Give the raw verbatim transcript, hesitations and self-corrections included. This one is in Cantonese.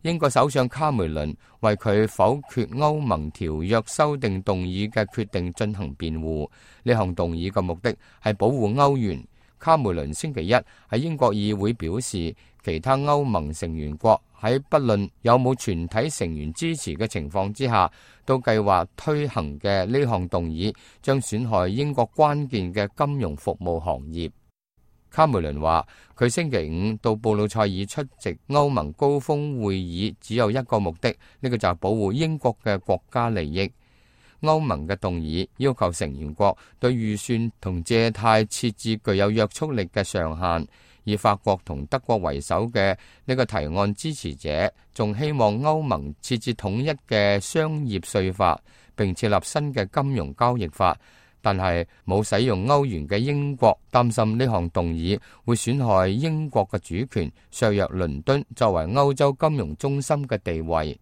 英國首相卡梅倫為佢否決歐盟條約修訂動議嘅決定進行辯護。呢項動議嘅目的係保護歐元。卡梅倫星期一喺英國議會表示，其他歐盟成員國喺不論有冇全體成員支持嘅情況之下，都計劃推行嘅呢項動議將損害英國關鍵嘅金融服務行業。卡梅倫話，佢星期五到布魯塞爾出席歐盟高峰會議只有一個目的，呢個就係保護英國嘅國家利益。歐盟嘅動議要求成員國對預算同借貸設置具有約束力嘅上限，以法國同德國為首嘅呢個提案支持者仲希望歐盟設置統一嘅商業稅法，並設立新嘅金融交易法。但係冇使用歐元嘅英國擔心呢項動議會損害英國嘅主權，削弱倫敦作為歐洲金融中心嘅地位。